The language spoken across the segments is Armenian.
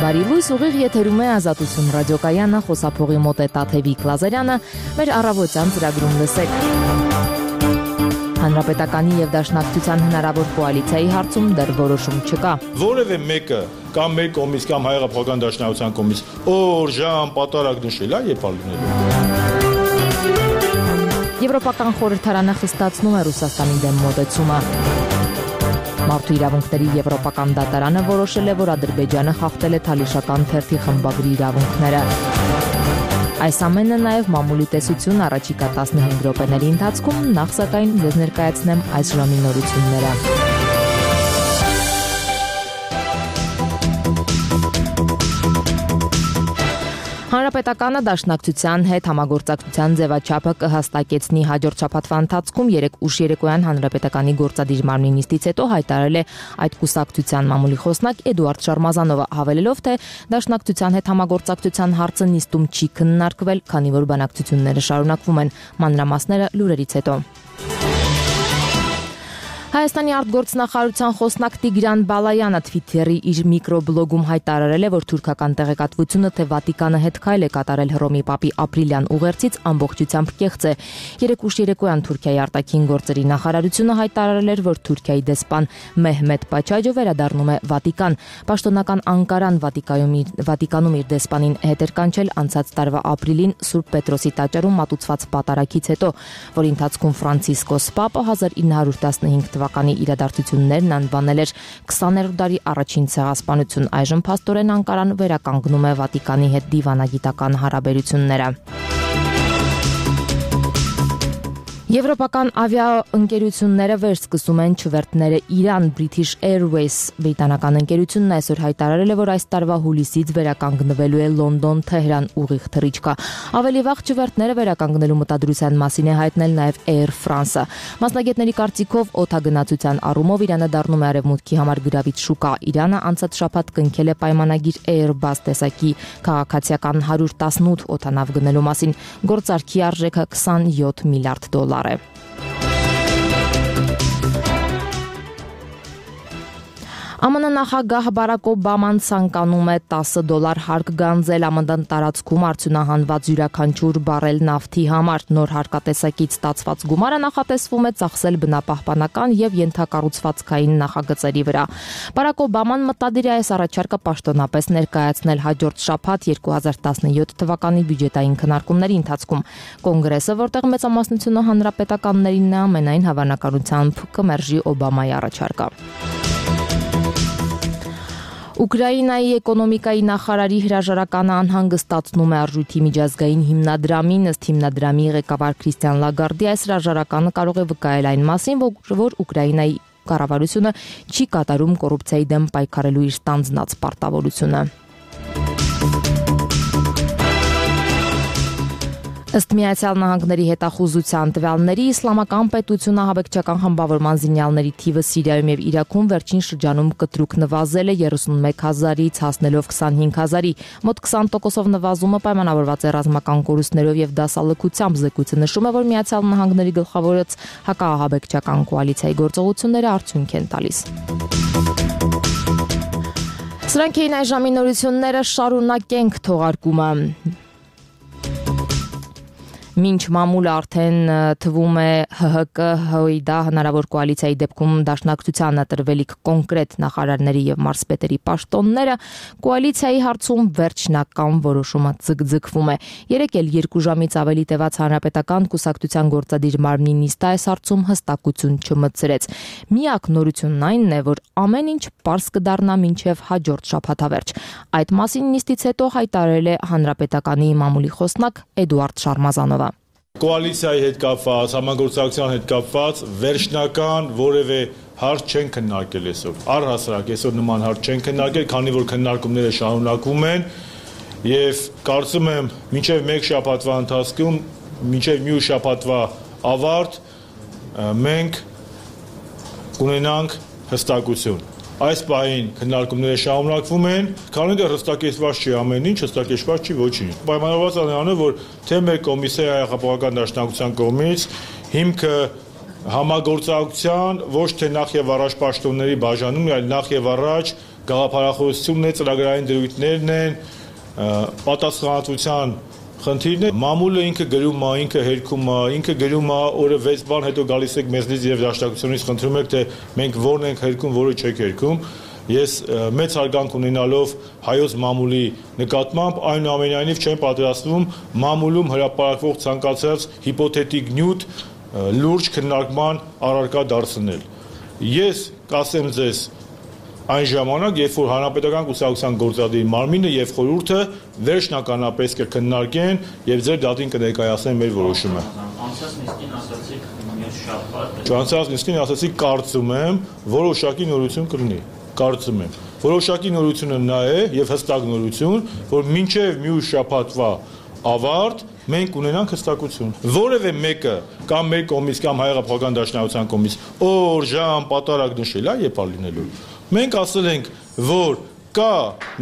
Բարի լույս, ուղիղ եթերում է Ազատություն ռադիոկայանը, խոսափողի մոտ է Տաթևիկ Լազարյանը, մեր առավոտյան ծրագրում լսեք։ Հանրապետականի եւ Դաշնակցության հնարավոր կոալիցիայի հարցում դեռ որոշում չկա։ Որևէ մեկը կամ մեր կողմից կամ Հայ-Հեղափոխական Դաշնակցության կողմից օր, ժամ, պատարագ նշել է եւ ալունելու։ Եվրոպական խորհրդարանը խստացնում է Ռուսաստանի դեմ մոտեցումը։ Մարդու իրավունքների եվրոպական դատարանը որոշել է, որ Ադրբեջանը խախտել է Թալիշական թերթի խմբագրի իրավունքները։ Այս ամենը նաև մամուլի տեսություն առաջիկա 15 րոպեների ընթացքում, նախ սակայն ձեզ ներկայացնեմ այս ժամի նորությունները։ Հանրապետականը Դաշնակցության հետ համագործակցության ձևաչափը կհաստակեցնի հաջորդ շաբաթվա ընթացքում 3 ուշ երեկոյան Հանրապետականի գործադիր մարմնի նիստից հետո հայտարարել է այդ կուսակցության մամուլի խոսնակ Էդուարդ Շարմազանովը, հավելելով, թե Դաշնակցության հետ համագործակցության հարցը նիստում չի քննարկվել, քանի որ բանակցությունները շարունակվում են։ Մանրամասները լուրերից հետո։ Հայաստանի արտգործնախարարության խոսնակ Տիգրան Բալայանը Twitter-ի իր միկրոբլոգում հայտարարել է, որ թուրքական տեղեկատվությունը, թե Վատիկանը հետ քայլ է կատարել Հռոմի Պապի ապրիլյան ուղերձից, ամբողջությամբ կեղծ է։ 3 ուշ երեկոյան Թուրքիայի արտաքին գործերի նախարարությունը հայտարարել էր, որ Թուրքիայի դեսպան Մեհմեդ Պաչաջը վերադառնում է Վատիկան։ Պաշտոնական Անկարան Վատիկանում իր դեսպանին հետ էր կանչել անցած տարվա ապրիլին Սուրբ Պետրոսի տաճարում մատուցված պատարագից հետո, որի ընթացքում Ֆրանցիսկոս Պապը 1915 թվականի իրադարձություններն անվանել էր 20-րդ դարի առաջին ցեղասպանություն։ Այժմ փաստորեն Անկարան վերականգնում է Վատիկանի հետ դիվանագիտական հարաբերությունները։ Եվրոպական ավիաընկերությունները վերսկսում են չվերթները Իրան։ British Airways բրիտանական ընկերությունն այսօր հայտարարել է, որ այս տարվա հուլիսից վերականգնվելու է Լոնդոն-Թեհրան ուղիղ թռիչքը։ Ավելի վաղ չվերթները վերականգնելու մտադրության մասին է հայտնել նաև Air France-ը։ Մասնագետների կարծիքով օդագնացության առումով Իրանը դառնում է արևմուտքի համար գրավիչ շուկա։ Իրանը անցած շաբաթ կնքել է պայմանագիր Airbus տեսակի քաղաքացիական 118 օդանավ գնելու մասին։ Գործարքի արժեքը $27 միլիարդ է։ ԱՄՆ նախագահ Բարակ Օբաման ցանկանում է $10 հարկ գանձել ԱՄՆ տարածքում արդյունահանված յուրաքանչյուր բարել նավթի համար։ Նոր հարկատեսակից ստացված գումարը նախատեսվում է ծախսել բնապահպանական եւ ենթակառուցվածքային նախագծերի վրա։ Բարակ Օբաման մտադիր է այս առաջարկը պաշտոնապես ներկայացնել հաջորդ շաբաթ 2017 թվականի բյուջետային քննարկումների ընթացքում։ Կոնգրեսը, որտեղ մեծամասնությունը հանրապետականներինն է, ամենայն հավանականությամբ կմերժի Օբամայի առաջարկը։ Ուկրաինայի էկոնոմիկայի նախարարի հրաժարականը անհանգստացնում է արժույթի միջազգային հիմնադրամին։ Ըստ հիմնադրամի ղեկավար Քրիստիան Լագարդի այս հրաժարականը կարող է վկայել այն մասին, որ Ուկրաինայի կառավարությունը չի կատարում կոռուպցիայի դեմ պայքարելու իր ստանձնած պարտավորությունը։ Ըստ Միացյալ Նահանգների հետախուզության տվյալների, Իսլամական պետությունը ահաբեկչական խմբավորման զինյալների թիվը Սիրիայում եւ Իրաքում վերջին շրջանում կտրուկ նվազել է 31,000-ից հասնելով 25,000-ի։ Մոտ 20%-ով նվազումը պայմանավորված է ռազմական կորուստներով եւ դասալքությամբ։ Զեկույցը նշում է, որ Միացյալ Նահանգների գլխավորած հակաահաբեկչական կոալիցիայի գործողությունները արդյունք են տալիս։ Սրանք էին այս ժամի նորությունները, շարունակենք թողարկումը։ Մինչ մամուլը արդեն թվում է ՀՀԿ-ՀՅԴ հնարավոր կոալիցիայի դեպքում Դաշնակցությանը տրվելիք կոնկրետ նախարարների եւ մարզպետերի պաշտոնները, կոալիցիայի հարցում վերջնական որոշումը ձգձգվում է։ Երեկ էլ 2 ժամից ավելի տևած Հանրապետական կուսակցության գործադիր մարմնի նիստը այս հարցում հստակություն չմտցրեց։ Միակ նորությունն այն է, որ ամեն ինչ պարզ կդառնա մինչև հաջորդ շաբաթավերջ։ Այդ մասին նիստից հետո հայտարարել է Հանրապետականի մամուլի խոսնակ Էդուարդ Շարմազանովը։ Կոալիցիայի հետ կապված, համագործակցության հետ կապված վերջնական որևէ հարց չեն քննարկել այսօր։ Առհասարակ այսօր նման հարց չեն քննարկել, քանի որ քննարկումները շարունակվում են եւ կարծում եմ մինչեւ 1 շաբաթվա ընթացքում, մինչեւ մյուս շաբաթվա ավարտ մենք կունենանք հստակություն։ Այս պահին քննարկումները շարունակվում են, քանի դեռ հստակեցված չի ամեն ինչ, հստակեցված չի ոչինչ։ Պայմանավորված է նրանով, որ թե մեր կոմիսիայի Հայ-Հեղափոխական Դաշնակցության կողմից հիմքը համագործակցության ոչ թե նախ եւ առաջ պաշտոնների բաժանում, այլ նախ եւ առաջ գաղափարախոսությունն է, ծրագրային դրույթներն են, պատասխանատվության խնդիրն է, մամուլը ինքը գրում է, ինքը հերքում է, ինքը գրում է, օրը 6 բան հետո գալիս եք մեզնից եւ դաշնակցությունից խնդրում եք, թե մենք որն ենք հերքում, որը չեք հերքում։ Ես մեծ հարգանք ունենալով հայոց մամուլի նկատմամբ այնուամենայնիվ չեմ պատրաստվում մամուլում հրապարակվող ցանկացած հիպոթետիկ նյութ լուրջ քննարկման առարկա դարձնել։ Ես կասեմ ձեզ այն ժամանակ, երբ որ Հանրապետական կուսակցության գործադիր մարմինը եւ խորհուրդը վերջնականապես կքննարկեն եւ ձեր դատին կներկայացնեն մեր որոշումը։ Անցած նիստին ասացիք կարծում եմ, որոշակի նորություն կլինի։ Կարծում եմ, որոշակի նորությունը նա է եւ հստակ նորություն, որ մինչեւ մյուս շաբաթվա ավարտ մենք ունենանք հստակություն։ Որևէ մեկը կամ մեր կողմից կամ Հայ-Հեղափոխական դաշնակցության կողմից օր, ժամ, պատարագ նշել է եւ ալինելու։ Մենք ասել ենք, որ կա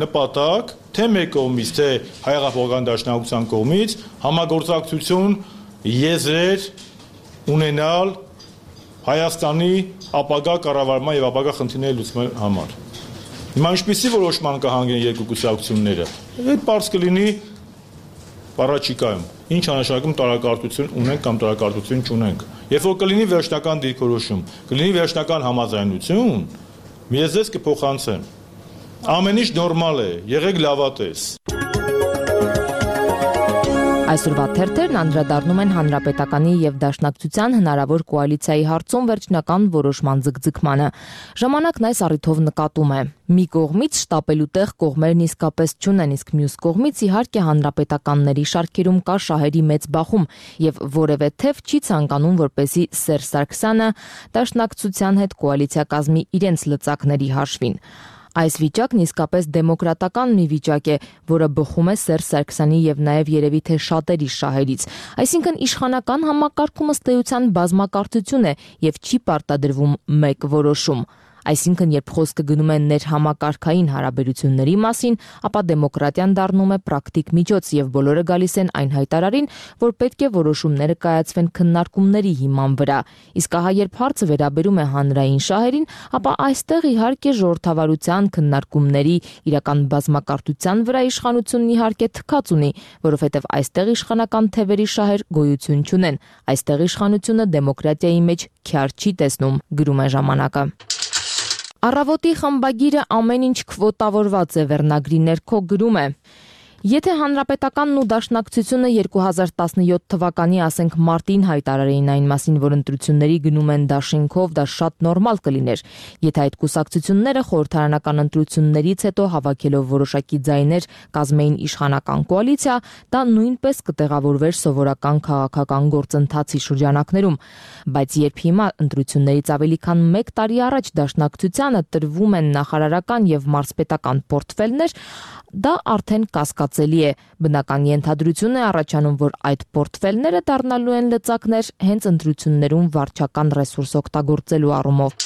նպատակ թե մեր կողմից, թե Հայ-Հեղափոխական դաշնակցության կողմից համագործակցություն եզրեր ունենալ Հայաստանի ապագա կառավարման եւ ապագա խնդիրների լուծման համար։ Հիմա ինչպեսի որոշման կհանգեն երկու կուսակցությունները։ Այդ բարձ կլինի առաջիկայում։ Ինչ անշանակում տարակարտություն ունենք կամ տարակարտություն չունենք։ Երբ որ կլինի վերջնական դիրքորոշում, կլինի վերջնական համաձայնություն, ես ձեզ կփոխանցեմ։ Ամեն ինչ նորմալ է, եղեք լավատես։ Այսօրվա թերթերն անդրադառնում են Հանրապետականի եւ Դաշնակցության հնարավոր կոալիցիայի հարցում վերջնական որոշման ձգձգմանը։ Ժամանակն այս առիթով նկատում է. մի կողմից շտապելու տեղ կողմերն իսկապես չունեն, իսկ մյուս կողմից իհարկե հանրապետականների շարքերում կա շահերի մեծ բախում եւ որևէ թեւ չի ցանկանում, որպեսզի Սերժ Սարգսյանը Դաշնակցության հետ կոալիցիա կազմի իրենց լծակների հաշվին։ Այս վիճակն իսկապես դեմոկրատական մի վիճակ է, որը բխում է Սերժ Սարգսյանի եւ նաեւ երևի թե շատերի շահերից։ Այսինքն իշխանական համակարգում ըստ էության բազմակարծություն է եւ չի պարտադրվում մեկ որոշում։ Այսինքն, երբ խոսքը գնում է ներհամակարգային հարաբերությունների մասին, ապա դեմոկրատիան դառնում է պրակտիկ միջոց եւ բոլորը գալիս են այն հայտարարին, որ պետք է որոշումները կայացվեն քննարկումների հիման վրա։ Իսկ ահա երբ հարցը վերաբերում է հանրային շահերին, ապա այստեղ իհարկե ժողովրդավարության քննարկումների իրական բազմակարծության վրա իշխանությունն իհարկե թքած ունի, որովհետեւ այստեղ իշխանական թևերի շահեր գոյություն չունեն։ Այստեղ իշխանությունը դեմոկրատիայի մեջ քյար չի տեսնում, գրում է ժամանակը։ Առավոտի խմբագիրը ամեն ինչ քվոտավորված է վերնագրի ներքո գրում է. Եթե Հանրապետականն ու Դաշնակցությունը 2017 թվականի, ասենք մարտին հայտարարեին այն մասին, որ ընտրությունների գնում են դաշինքով, դա շատ նորմալ կլիներ։ Եթե այդ կուսակցությունները խորհրդարանական ընտրություններից հետո հավաքելով որոշակի ձայներ կազմեին իշխանական կոալիցիա, դա նույնպես կտեղավորվեր սովորական քաղաքական գործընթացի շրջանակներում։ Բայց երբ հիմա ընտրություններից ավելի քան 1 տարի առաջ Դաշնակցությանը տրվում են նախարարական եւ մարզպետական պորտֆելներ, դա արդեն կասկածելի է։ Բնական ենթադրություն է առաջանում, որ այդ պորտֆելները դառնալու են լծակներ հենց ընտրություններում վարչական ռեսուրս օգտագործելու առումով։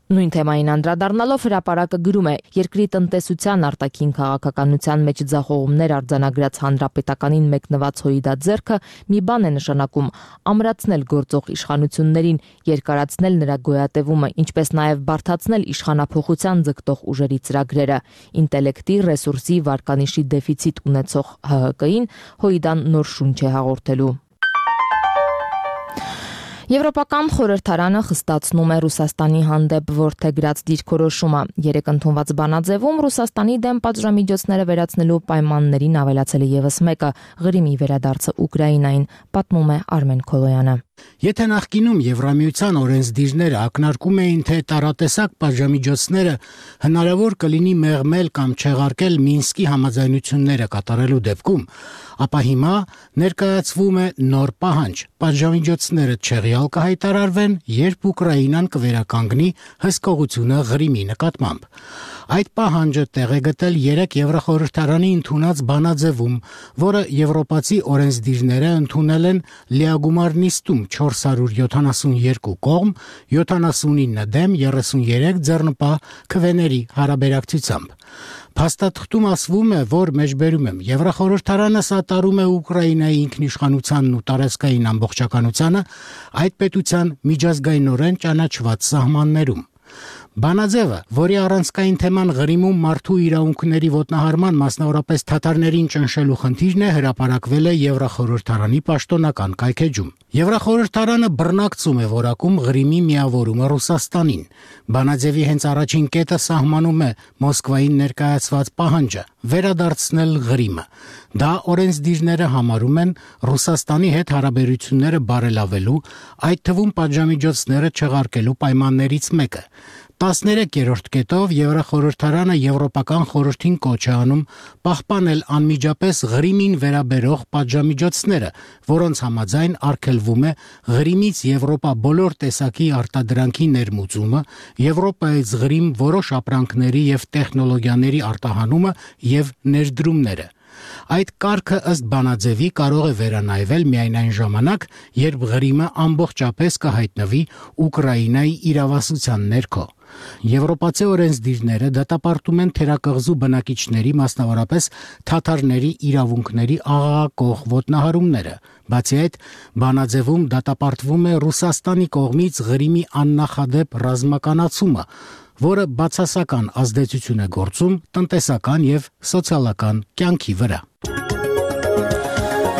Նույն թեմային անդրադառնալով հրապարակը գրում է. երկրի տնտեսության արտաքին քաղաքականության մեջ ձախողումներ արձանագրած Հանրապետականին մեկնված հույդաձեռքը մի բան է նշանակում՝ ամրացնել գործող իշխանություններին, երկարացնել նրա գոյատևումը, ինչպես նաև բարդացնել իշխանափոխության ձգտող ուժերի ծրագրերը։ Ինտելեկտի, ռեսուրսի, վարկանիշի դեֆիցիտ ունեցող ՀՀԿ-ին հույդան նոր շունչ է հաղորդելու։ Եվրոպական խորհրդարանը խստացնում է Ռուսաստանի հանդեպ որդեգրած դիրքորոշումը։ Երեկ ընդունված բանաձևում Ռուսաստանի դեմ պատժամիջոցները վերացնելու պայմաններին ավելացել է եւս մեկը՝ Ղրիմի վերադարձը Ուկրաինային, պատմում է Արմեն Քոլոյանը։ Եթե նախկինում Եվրամիության օրենսդիրները ակնարկում էին, թե տարատեսակ պատժամիջոցները հնարավոր կլինի մեղմել կամ չեղարկել Մինսկի համաձայնությունները կատարելու դեպքում, ապա հիմա ներկայացվում է նոր պահանջ՝ պատժամիջոցները չեղյալ կհայտարարվեն, երբ Ուկրաինան կվերականգնի հսկողությունը Ղրիմի նկատմամբ։ Այդ պահանջը տեղ է գտել 3 Եվրախորհրդարանի ընդունած բանաձևում, որը եվրոպացի օրենսդիրները ընդունել են լիագումար նիստում 472 կողմ, 79 դեմ, 33 ձեռնպահ քվեների հարաբերակցությամբ։ Փաստաթղթում ասվում է, որ մեջբերում եմ Եվրախորհրդարանը սատարում է Ուկրաինայի ինքնիշխանությանն ու տարածքային ամբողջականությանը այդ պետության միջազգայինորեն ճանաչված սահմաններում։ Բանաձևը, որի առանցքային թեման Ղրիմում մարդու իրավունքների ոտնահարման, մասնավորապես թաթարներին ճնշելու խնդիրն է, հրապարակվել է Եվրախորհրդարանի պաշտոնական կայքէջում։ Եվրախորհրդարանը բռնակցում է որակում Ղրիմի միավորումը Ռուսաստանին։ Բանաձևի հենց առաջին կետը սահմանում է Մոսկվային ներկայացված պահանջը վերադարձնել Ղրիմը։ Դա օրենսդիրները համարում են Ռուսաստանի հետ հարաբերությունները բարելավելու, այդ թվում պատժամիջոցները չեղարկելու պայմաններից մեկը։ 13-րդ կետով Եվրախորհրդարանը Եվրոպական խորհրդին կոչ է անում պահպանել անմիջապես Ղրիմին վերաբերող պատժամիջոցները, որոնց համաձայն արգելվում է Ղրիմից Եվրոպա բոլոր տեսակի արտադրանքի ներմուծումը, Եվրոպայից Ղրիմ որոշ ապրանքների եւ տեխնոլոգիաների արտահանումը եւ ներդրումները։ Այդ կարգը ըստ բանաձևի կարող է վերանայվել միայն այն ժամանակ, երբ Ղրիմը ամբողջապես կհայտնվի Ուկրաինայի իրավասության ներքո։ Եվրոպացի օրենսդիրները դատապարտում են թերակղզու բնակիչների, մասնավորապես թաթարների իրավունքների աղաղակող ոտնահարումները։ Բացի այդ, բանաձևում դատապարտվում է Ռուսաստանի կողմից Ղրիմի աննախադեպ ռազմականացումը, որը բացասական ազդեցություն է գործում տնտեսական եւ սոցիալական կյանքի վրա։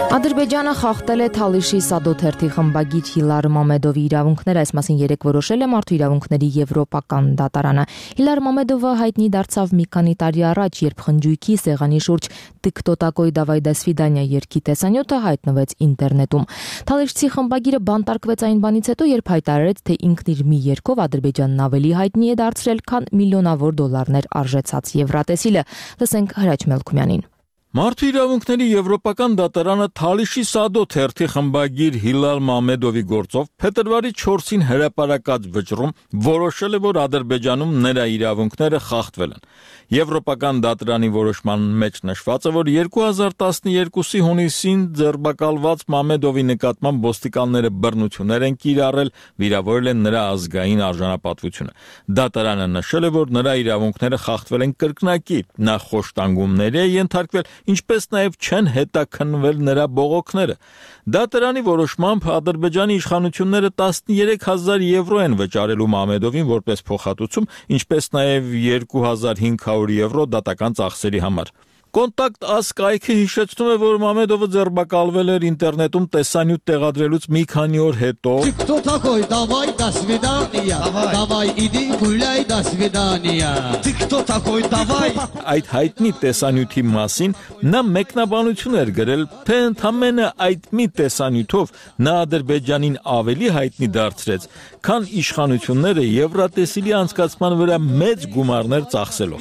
Ադրբեջանը խախտել է Թալիշի Սադոթերթի խմբագիր Հիլար Մամեդովի իրավունքները, այս մասին երեկ որոշել է Մարդու իրավունքների Եվրոպական դատարանը։ Հիլար Մամեդովը հայտնի դարձավ մի քանի տարի առաջ, երբ խնջույքի սեղանի շուրջ «Տիկ-տո տակոյ դավայ դա սվիդանիա» երգի տեսանյութը հայտնվեց ինտերնետում։ Թալիշցի խմբագիրը բանտարկվեց այն բանից հետո, երբ հայտարարեց, թե ինքն իր մի երգով Ադրբեջանն ավելի հայտնի է դարձրել, քան միլիոնավոր դոլարներ արժեցած Եվրատեսիլը։ Լսենք Հրաչ Մելքումյանին։ Մարդու իրավունքների Եվրոպական դատարանը Թալիշի Սադոթերթի խմբագիր Հիլար Մամեդովի գործով փետրվարի 4-ին հրապարակած վճռում որոշել է, որ Ադրբեջանում նրա իրավունքները խախտվել են։ Եվրոպական դատարանի որոշման մեջ նշված է, որ 2012-ի հունիսին ձերբակալված Մամեդովի նկատմամբ ոստիկանները բռնություններ են կիրառել, վիրավորել են նրա ազգային արժանապատվությունը։ Դատարանը նշել է, որ նրա իրավունքները խախտվել են կրկնակի, նա խոշտանգումների է ենթարկվել, ինչպես նաև չեն հետաքննվել նրա բողոքները։ Դատարանի որոշմամբ Ադրբեջանի իշխանությունները 13,000 եվրո են վճարելու Մամեդովին որպես փոխհատուցում, ինչպես նաև 2500 եվրո դատական ծախսերի համար։ Կոնտակտ ասկայքը հիշեցնում է, որ Մամեդովը ձերբակալվել էր ինտերնետում տեսանյութ տեղադրելուց մի քանի օր հետո։ Кто такой? Давай, до свидания. Давай, иди гуляй, до свидания. Ты кто такой? Давай. Այդ հայտնի տեսանյութի մասին նա մեկնաբանություն էր գրել, թե ընդամենը այդ մի տեսանյութով նա Ադրբեջանին ավելի հայտնի դարձրեց, քան իշխանությունները Եվրատեսիլի անցկացման վրա մեծ գումարներ ծախսելով։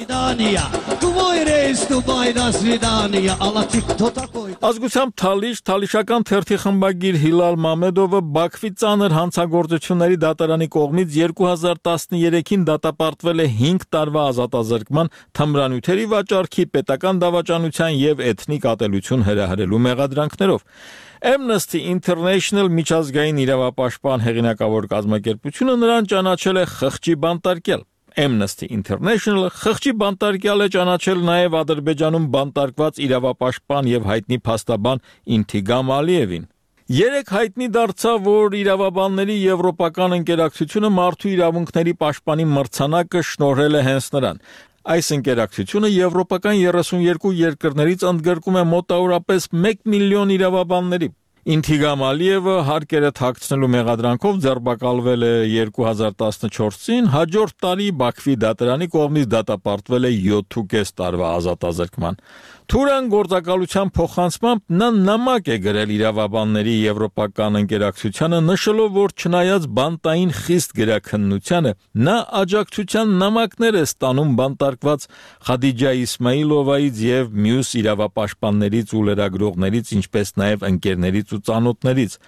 Ազգությամբ Թալիշական թերթի խմբագիր Հիլար Մամեդովը Բաքվի ծանր հանցագործությունների դատարանի կողմից 2013-ին դատապարտվել է 5 տարվա ազատազրկման, թմրանյութերի վաճառքի, պետական դավաճանության եւ էթնիկ ատելություն հրահրելու մեղադրանքներով։ Amnesty International միջազգային իրավապաշտպան հեղինակավոր կազմակերպությունը նրան ճանաչել է խղճի բանտարկյալ։ Amnesty International խղճի բանտարկյալ է ճանաչել նաև Ադրբեջանում բանտարկված իրավապաշտպան եւ հայտնի փաստաբան Ինթիգամ Ալիևին։ Երեք հայտնի դարձավ, որ իրավաբանների եվրոպական ընկերակցությունը մարդու իրավունքների պաշտպանի մրցանակը շնորհել է հենց նրան։ Այս ընկերակցությունը եվրոպական 32 երկրներից ընդգրկում է մոտավորապես 1 միլիոն իրավաբանների։ Ինթիգամ Ալիևը հարկերը թաքցնելու մեղադրանքով ձերբակալվել է 2014-ին, հաջորդ տարի Բաքվի դատարանի կողմից դատապարտվել է 7.5 տարվա ազատազրկման։ Թուրան գործակալության փոխանցմամբ նա նամակ է գրել իրավաբանների եվրոպական ընկերակցությանը, նշելով, որ չնայած բանտային խիստ գրաքննությանը, նա աջակցության նամակներ է ստանում բանտարկված Խադիջա Իսմայիլովայից եւ մյուս իրավապաշտպաններից ու լրագրողներից, ինչպես նաեւ ընկերներից ու ու ծանոթներից։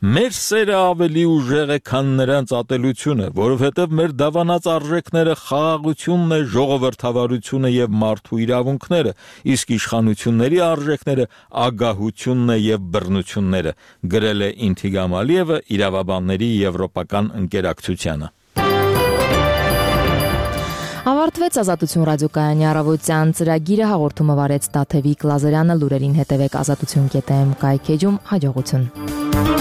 Մեր սերը ավելի ուժեղ է, քան նրանց ատելությունը, որովհետև մեր դավանած արժեքները խաղաղությունն է, ժողովրդավարությունը եւ մարդու իրավունքները, իսկ իշխանությունների արժեքները ագահությունն է եւ բռնությունները, գրել է Ինթիգամ Ալիևը իրավաբանների եվրոպական ընկերակցությանը։ Ավարտվեց Ազատություն ռադիոկայանի առավոտյան ծրագիրը, հաղորդումը վարեց Տաթևիկ Լազարյանը, լուրերին հետևեք ազատություն.am կայքեջում, հաջողություն։